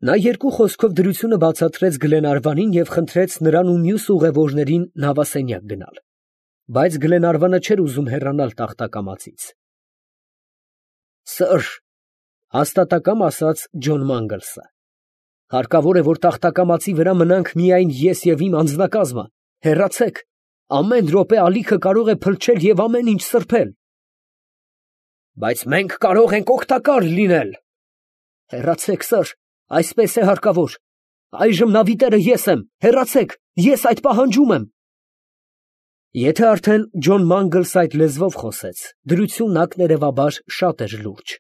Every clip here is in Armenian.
Նա երկու խոսքով դրությունը բացատրեց Գլենարվանին և խնդրեց նրան ու մյուս ուղևորներին նավասենյակ գնալ, բայց Գլենարվանը չէր ուզում հեռանալ տախտակամածից։ Սըր, հաստատակամ ասաց Ջոն Մանգլսը, հարկավոր է, որ տախտակամածի վրա մնանք միայն ես և իմ անձնակազմը, հեռացեք, ամեն րոպե ալիքը կարող է փլչել և ամեն ինչ սրբել։ Բայց մենք կարող ենք օգտակար լինել։ Հեռացեք, սըր, այսպես է հարկավոր։ Այժմ նավի տերը ես եմ, հեռացեք, ես այդ պահանջում եմ։ Եթե արդեն Ջոն Մանգլսը այդ լեզվով խոսեց, դրությունն ակներևաբար շատ էր լուրջ։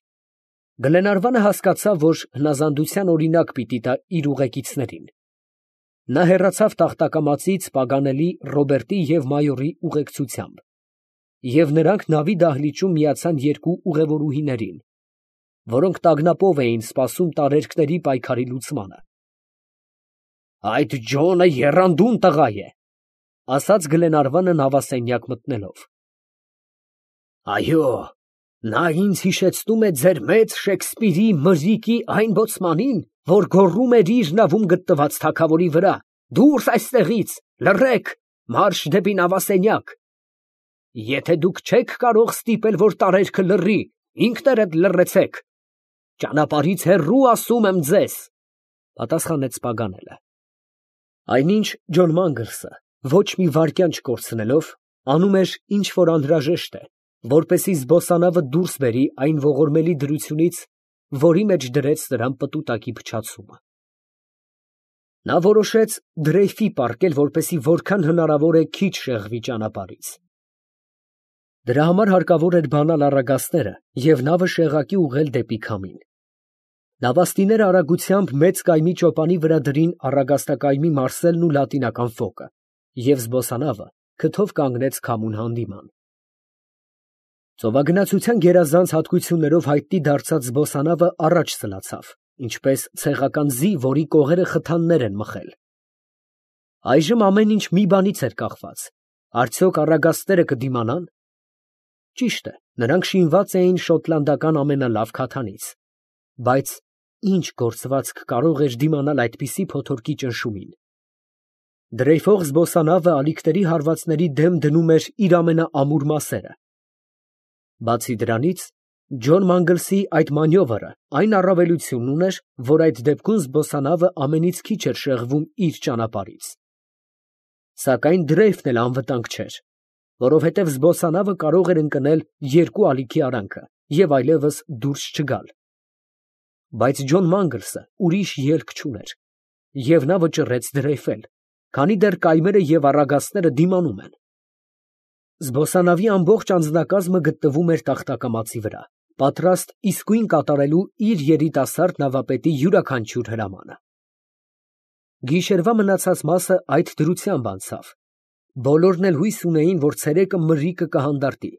Գլենարվանը հասկացավ, որ հնազանդության օրինակ պիտի տա իր ուղեկիցներին։ Նա հեռացավ տախտակամածից պագանելի Ռոբերտի և մայորի ուղեկցությամբ, և նրանք նավի դահլիճում միացան երկու ուղևորուհիներին, որոնք տագնապով էին սպասում տարերկների պայքարի լուծմանը։ Այդ Ջոնը եռանդուն տղա է, ասաց Գլենարվանը նավասենյակ մտնելով։ Այո, նա ինձ հիշեցնում է ձեր մեծ Շեքսպիրի Մրրիկի այն բոցմանին, որ գոռում էր իր նավում գտնված թագավորի վրա. «Դուրս այստեղից, լռեք, մարշ դեպի նավասենյակ»։ Եթե դուք չեք կարող ստիպել, որ տարերքը լռի, ինքներդ լռեցեք։ Ճանապարհից հեռու, ասում եմ ձեզ, պատասխանեց պագանելը։ Այնինչ Ջոն Մանգլսը, ոչ մի վայրկյան չկորցնելով, անում էր ինչ որ անհրաժեշտ է, որպեսզի զբոսանավը դուրս բերի այն ողորմելի դրությունից, որի մեջ դրեց նրան պտուտակի փչացումը։ Նա որոշեց դրեյֆի պառկել, որպեսզի որքան հնարավոր է քիչ շեղվի ճանապարհից։ Դրա համար հարկավոր էր բանալ առագաստերը և նավը շեղակի ուղղել դեպի քամին։ Նավաստիները արագությամբ մեծ կայմի ճոպանի վրա դրին առագաստակայմի մարսելն ու լատինական ֆոկը, և զբոսանավը քթով կանգնեց քամուն հանդիման։ Ծովագնացության գերազանց հատկություններով հայտնի դարձած զբոսանավը առաջ սլացավ, ինչպես ցեղական ձի, որի կողերը խթաններ են մխել։ Այժմ ամեն ինչ մի բանից էր կախված. արդյոք առագաստները կդիմանան։ Ճիշտ է, նրանք շինված էին շոտլանդական ամենալավ քաթանից, բայց ինչ գործվածք կարող էր դիմանալ այդպիսի փոթորկի ճնշումին։ Դրեյֆող զբոսանավը ալիքների հարվածների դեմ դնում էր իր ամենաամուր մասերը։ Բացի դրանից, Ջոն Մանգլսի այդ մանյովրը այն առավելությունն ուներ, որ այդ դեպքում զբոսանավը ամենից քիչ էր շեղվում իր ճանապարհից։ Սակայն դրեյֆն էլ անվտանգ չէր, որովհետև զբոսանավը կարող էր ընկնել երկու ալիքի արանքը և այլևս դուրս չգալ։ Բայց Ջոն Մանգլսը ուրիշ ելք չուներ, և նա վճռեց դրեյֆել, քանի դեռ կայմերը և առագաստները դիմանում են։ Զբոսանավի ամբողջ անձնակազմը գտնվում էր տախտակամածի վրա, պատրաստ իսկույն կատարելու իր երիտասարդ նավապետի յուրաքանչյուր հրամանը։ Գիշերվա մնացած մասը այդ դրությամբ անցավ։ Բոլորն էլ հույս ունեին, որ ցերեկը մրրիկը կհանդարտի։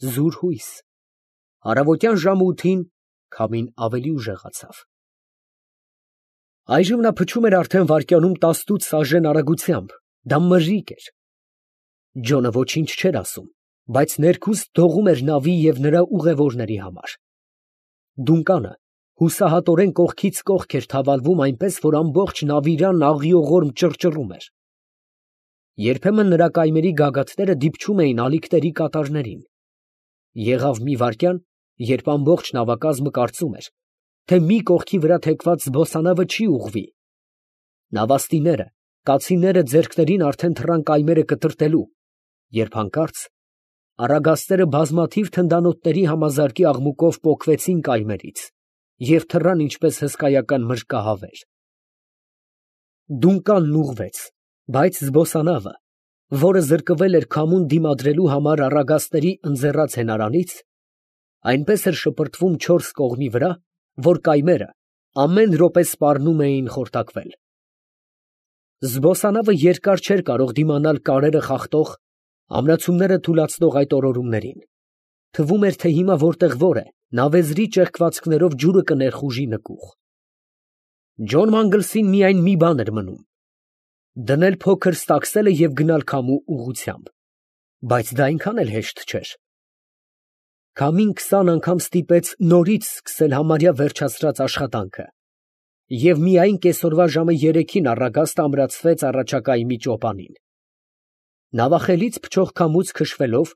Զուր հույս։ Առավոտյան ժամը 8-ին քամին ավելի ուժեղացավ։ Այժմ նա փչում էր արդեն վայրկյանում 18 սաժեն արագությամբ, դա մրրիկ էր։ Ջոնը ոչինչ չէր ասում, բայց ներքուստ դողում էր նավի և նրա ուղևորների համար։ Դունկանը հուսահատորեն կողքից կողք էր թավալվում, այնպես որ ամբողջ նավիրանն աղիողորմ ճռճռում էր։ Երբեմն նրա կայմերի գագաթները դիպչում էին ալիքների կատարներին։ Եղավ մի վայրկյան, երբ ամբողջ նավակազմը կարծում էր, թե մի կողքի վրա թեքված զբոսանավը չի ուղղվի։ Նավաստիները, կացինները ձեռքներին արդեն թռան կայմերը կտրտելու, երբ հանկարծ առագաստերը բազմաթիվ թնդանոթների համազարկի աղմուկով պոկվեցին կայմերից և թռան ինչպես հսկայական մրրկահավեր։ Դունկանն ուղղվեց, բայց զբոսանավը, որը զրկվել էր քամուն դիմադրելու համար առագաստների ընձեռած հենարանից, այնպես էր շպրտվում չորս կողմի վրա, որ կայմերը ամեն րոպե սպառնում էին խորտակվել։ Զբոսանավը երկար չէր կարող դիմանալ կարերը խախտող, ամրացումները թուլացնող այդ օրորումներին։ Թվում էր, թե հիմա որտեղ որ է, նավեզրի ճեղքվածքներով ջուրը կներխուժի նկուղ։ Ջոն Մանգլսին միայն մի բան էր մնում. դնել փոքր ստակսելը և գնալ քամու ուղղությամբ, բայց դա այնքան էլ հեշտ չէր։ Քամին 20 անգամ ստիպեց նորից սկսել համարյա վերջացրած աշխատանքը, և միայն կեսօրվա ժամը 3-ին առագաստը ամրացվեց առաջակայմի ճոպանին։ Նավախելից փչող քամուց քշվելով,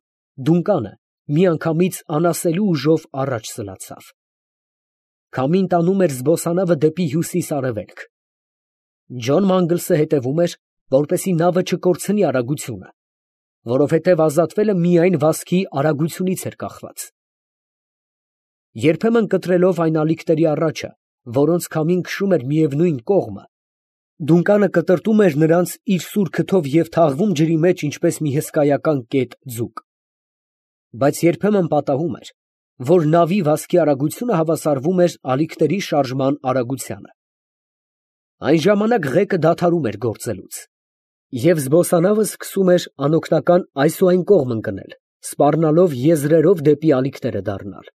դունկանը միանգամից անասելի ուժով առաջ սլացավ։ Քամին տանում էր զբոսանավը դեպի հյուսիս֊արևելք։ Ջոն Մանգլսը հետևում էր, որպեսզի նավը չկորցնի արագությունը, որովհետև ազատվելը միայն վազքի արագությունից էր կախված։ Երբեմն կտրելով այն ալիքների առաջը, որոնց քամին քշում էր միևնույն կողմը, դունկանը կտրտում էր նրանց իր սուր քթով և թաղվում ջրի մեջ, ինչպես մի հսկայական կետ ձուկ։ Բայց երբեմն պատահում էր, որ նավի վազքի արագությունը հավասարվում էր ալիքների շարժման արագությանը։ Այն ժամանակ ղեկը դադարում էր գործելուց, և զբոսանավը սկսում էր անօգնական այս ու այն կողմ ընկնել, սպառնալով եզրերով դեպի ալիքները դառնալ։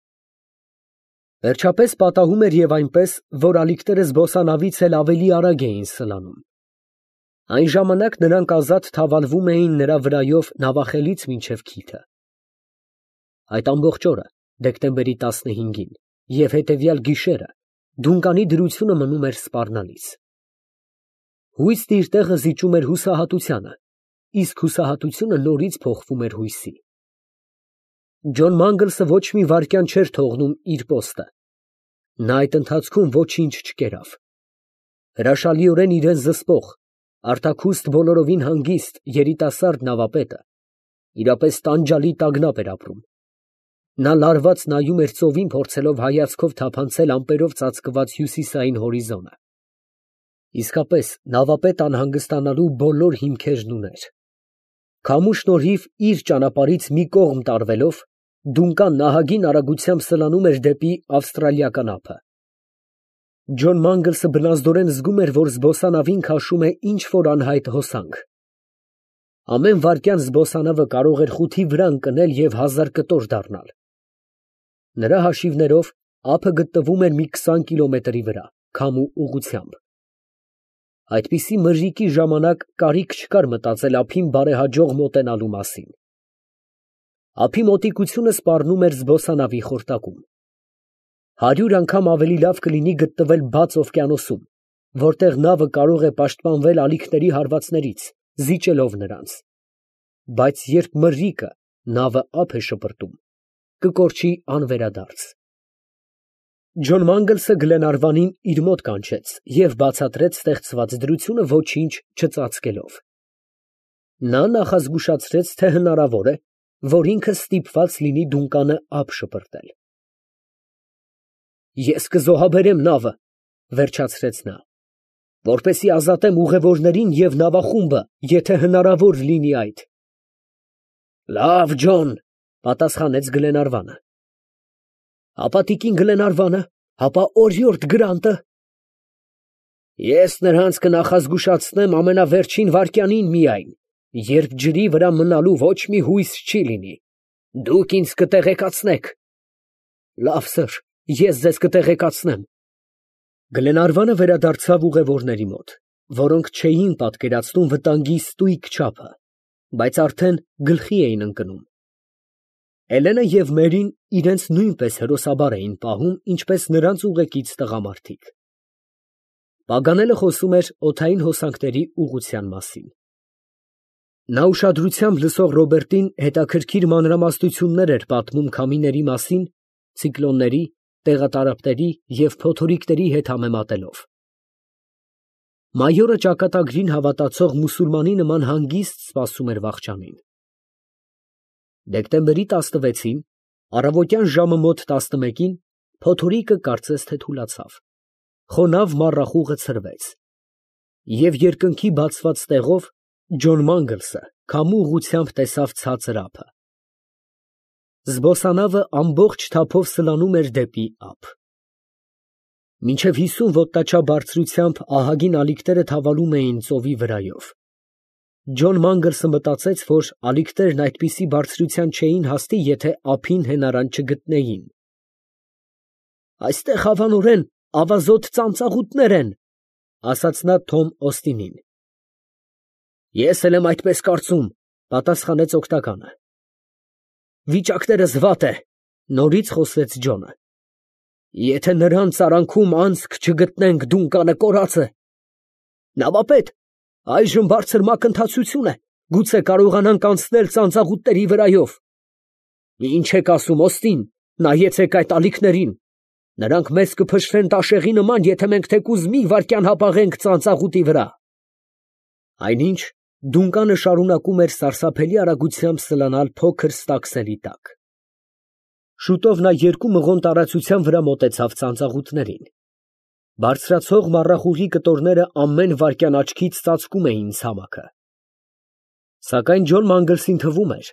Վերջապես պատահում էր և այնպես, որ ալիքները զբոսանավից էլ ավելի արագ էին սլանում։ Այն ժամանակ նրանք ազատ թավալվում էին նրա վրայով նավախելից մինչև քիթը։ Այդ ամբողջ օրը, դեկտեմբերի 15-ին և հետևյալ գիշերը, դունկանի դրությունը մնում էր սպառնալից։ Հույսն իր տեղը զիջում էր հուսահատությանը, իսկ հուսահատությունը նորից փոխվում էր հույսի։ Ջոն Մանգլսը ոչ մի վայրկյան չէր թողնում իր պոստը։ Նա այդ ընթացքում ոչինչ չկերավ։ Հրաշալիորեն իրան զսպող, արտաքուստ, բոլորովին հանգիստ երիտասարդ նավապետը իրապես տանջալի տագնապ էր ապրում։ Նա լարված նայում էր ծովին, փորձելով հայացքով թափանցել ամպերով ծածկված հյուսիսային հորիզոնը։ Իսկապես, նավապետ անհանգստանալու բոլոր հիմքերն ուներ։ Քամու շնորհիվ իր ճանապարհից մի կողմ տարվելով, դունկան նահագին արագությամբ սլանում էր դեպի ավստրալիական ափը։ Ջոն Մանգլսը բնազդորեն զգում էր, որ զբոսանավին քաշում է ինչ֊որ անհայտ հոսանք։ Ամեն վայրկյան զբոսանավը կարող էր խութի վրա ընկնել և 1000 կտոր դառնալ։ Նրա հաշիվներով ափը գտնվում էր մի 20 կիլոմետրի վրա, քամու ուղղությամբ։ Այդպիսի մրրիկի ժամանակ կարիք չկար մտածել ափին բարեհաջող մոտենալու մասին։ Ափի մոտիկությունը սպառնում էր զբոսանավի խորտակում։ 100 անգամ ավելի լավ կլինի գտնվել բաց օվկիանոսում, որտեղ նավը կարող է պաշտպանվել ալիքների հարվածներից, զիջելով նրանց։ Բայց երբ մրրիկը նավը ափ է շպրտում, կկորչի անվերադարձ։ Ջոն Մանգլսը Գլենարվանին իր մոտ կանչեց և բացատրեց ստեղծված դրությունը ոչինչ չծածկելով։ Նա նախազգուշացրեց, թե հնարավոր է, որ ինքը ստիպված լինի դունկանը ափ շպրտել։ Ես կզոհաբերեմ նավը, վերջացրեց նա, որպեսզի ազատեմ ուղևորներին և նավախումբը, եթե հնարավոր լինի այդ։ Լավ, Ջոն, պատասխանեց Գլենարվանը։ Ապա տիկին Գլենարվանը, ապա օրիորդ Գրանտը։ Ես նրանց կնախազգուշացնեմ ամենավերջին վայրկյանին միայն, երբ ջրի վրա մնալու ոչ մի հույս չի լինի։ Դուք ինձ կտեղեկացնեք։ Լավ, սըր, ես ձեզ կտեղեկացնեմ։ Գլենարվանը վերադարձավ ուղևորների մոտ, որոնք չէին պատկերացնում վտանգի ստույգ չափը, բայց արդեն գլխի էին ընկնում։ Էլենը և Մերին իրենց նույնպես հրոսաբար էին պահում, ինչպես նրանց ուղեկից տղամարդիկ։ Պագանելը խոսում էր օդային հոսանքների ուղղության մասին։ Նա ուշադրությամբ լսող Ռոբերտին հետաքրքիր մանրամասնություններ էր պատմում քամիների մասին, ցիկլոնների, տեղատարափների և փոթորիկների հետ համեմատելով։ Մայորը ճակատագրին հավատացող մուսուլմանի նման հանգիստ սպասում էր վախճանին։ Դեկտեմբերի 16-ին, առավոտյան ժամը մոտ 11-ին, փոթորիկը կարծես թե թուլացավ, խոնավ մառախուղը ցրվեց, և երկնքի բացված տեղով Ջոն Մանգլսը քամու ուղղությամբ տեսավ ցածր ափը։ Զբոսանավը ամբողջ թափով սլանում էր դեպի ափ։ Մինչև 50 ոտնաչափ բարձրությամբ ահագին ալիքները թավալում էին ծովի վրայով։ Ջոն Մանգլսը մտածեց, որ ալիքներն այդպիսի բարձրության չէին հասնի, եթե ափին հենարան չգտնեին։ Այստեղ հավանորեն ավազոտ ծանծաղուտներ են, ասաց նա Թոմ Օստինին։ Ես էլ եմ այդպես կարծում, պատասխանեց օգտականը։ Վիճակներս վատ է, նորից խոսեց Ջոնը։ Եթե նրանց արանքում անցք չգտնենք, Դունկանը կորած է։ Նավապետ, այժմ բարձր մակընթացություն է, գուցե կարողանանք անցնել ծանծաղուտների վրայով։ Ինչ եք ասում, Օստին, նայեցեք այդ ալիքներին, նրանք մեզ կփշրեն տաշեղի նման, եթե մենք թեկուզ մի վայրկյան հապաղենք ծանծաղուտի վրա։ Այնինչ Դունկանը շարունակում էր սարսափելի արագությամբ սլանալ փոքր ստակսերի տակ։ Շուտով նա 2 մղոն տարածության վրա մոտեցավ ծանծաղուտներին։ Բարձրացող մառախուղի կտորները ամեն վայրկյան աչքից ծածկում էին ցամաքը։ Սակայն Ջոն Մանգլսին թվում էր,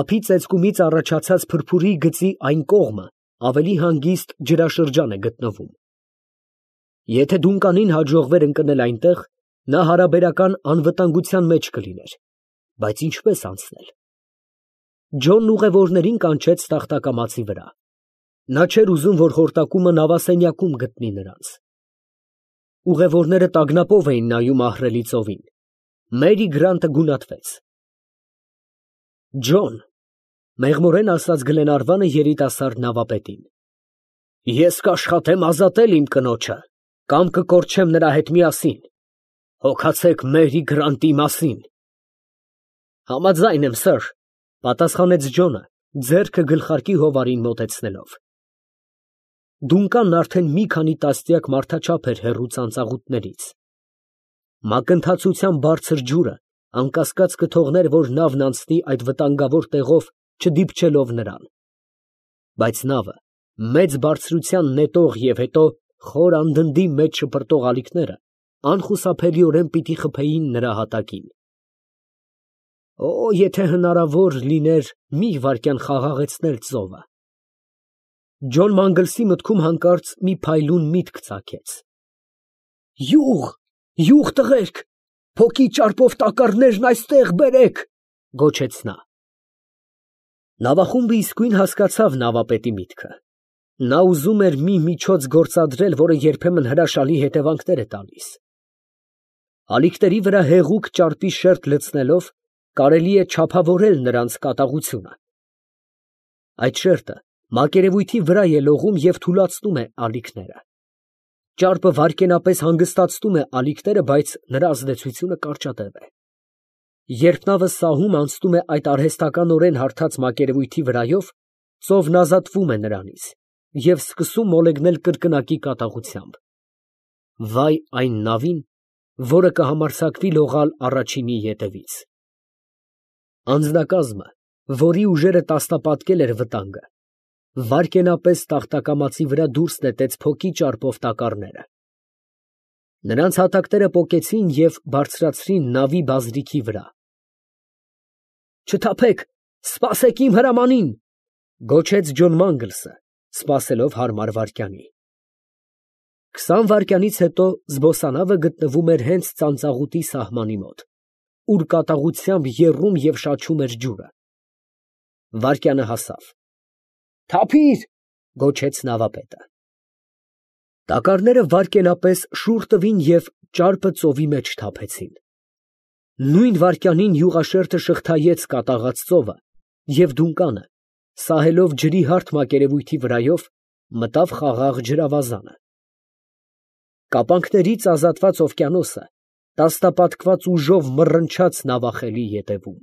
ափի ծեծկումից առաջացած փրփուրի գծի այն կողմը ավելի հանգիստ ջրաշրջան է գտնվում։ Եթե Դունկանին հաջողվեր ընկնել այնտեղ, նա հարաբերական անվտանգության մեջ կլիներ, բայց ինչպես անցնել։ Ջոնն ուղևորներին կանչեց տախտակամածի վրա։ Նա չէր ուզում, որ խորտակումը նավասենյակում գտնի նրանց։ Ուղևորները տագնապով էին նայում ահռելի ծովին։ Մերի Գրանտը գունատվեց։ Ջոն, մեղմորեն ասաց Գլենարվանը երիտասարդ նավապետին, ես կաշխատեմ ազատել իմ կնոջը, կամ կկորչեմ նրա հետ միասին։ Հոգացեք Մերի Գրանտի մասին։ Համաձայն եմ, սըր, պատասխանեց Ջոնը, ձեռքը գլխարկի հովարին մոտեցնելով։ Դունկանն արդեն մի քանի տասնյակ մարդաչափ էր հեռու ծանծաղուտներից։ Մակընթացության բարձր ջուրը անկասկած կթողներ, որ նավն անցնի այդ վտանգավոր տեղով, չդիպչելով նրան։ Բայց նավը, մեծ բարձրության նետող և հետո խոր անդնդի մեջ շպրտող ալիքները անխուսափելիորեն պիտի խփեին նրա հատակին։ Օ, եթե հնարավոր լիներ մի վայրկյան խաղաղեցնել ծովը։ Ջոն Մանգլսի մտքում հանկարծ մի փայլուն միտք ծագեց։ Յուղ, յուղ տղերք, փոքի ճարպով տակառներն այստեղ բերեք, գոչեց նա։ Նավախումբը իսկույն հասկացավ նավապետի միտքը։ Նա ուզում էր մի միջոց գործադրել, որը երբեմն հրաշալի հետևանքներ է տալիս։ Ալիքների վրա հեղուկ ճարպի շերտ լցնելով կարելի է չափավորել նրանց կատաղությունը։ Այդ շերտը մակերևույթի վրա է լողում և թուլացնում է ալիքները։ Ճարպը վայրկենապես հանգստացնում է ալիքները, բայց նրա ազդեցությունը կարճատև է։ Երբ նավը սահում անցնում է այդ արհեստականորեն հարթած մակերևույթի վրայով, ծովն ազատվում է նրանից և սկսում մոլեգնել կրկնակի կատաղությամբ։ Վայ այն նավին, որը կհամարձակվի լողալ առաջինի ետևից։ Անձնակազմը, որի ուժերը տասնապատկել էր վտանգը, վայրկենապես տախտակամածի վրա դուրս նետեց փոքի ճարպով տակառները։ Նրանց հատակները պոկեցին և բարձրացրին նավի բազրիքի վրա։ Չթափեք, սպասեք իմ հրամանին, գոչեց Ջոն Մանգլսը, սպասելով հարմար վայրկյանի։ 20 վայրկյանից հետո զբոսանավը գտնվում էր հենց ծանծաղուտի սահմանի մոտ, ուր կատաղությամբ եռում և շաչում էր ջուրը։ Վայրկյանը հասավ։ Թափի՛ր, գոչեց նավապետը։ Տակառները վայրկենապես շուռ տվին և ճարպը ծովի մեջ թափեցին։ Նույն վայրկյանին յուղաշերտը շղթայեց կատաղած ծովը, և Դունկանը, սահելով ջրի հարթ մակերևույթի վրայով, մտավ խաղաղ ջրավազանը։ Կապանքներից ազատված օվկիանոսը տասնապատկված ուժով մռնչաց նավախելի ետևում։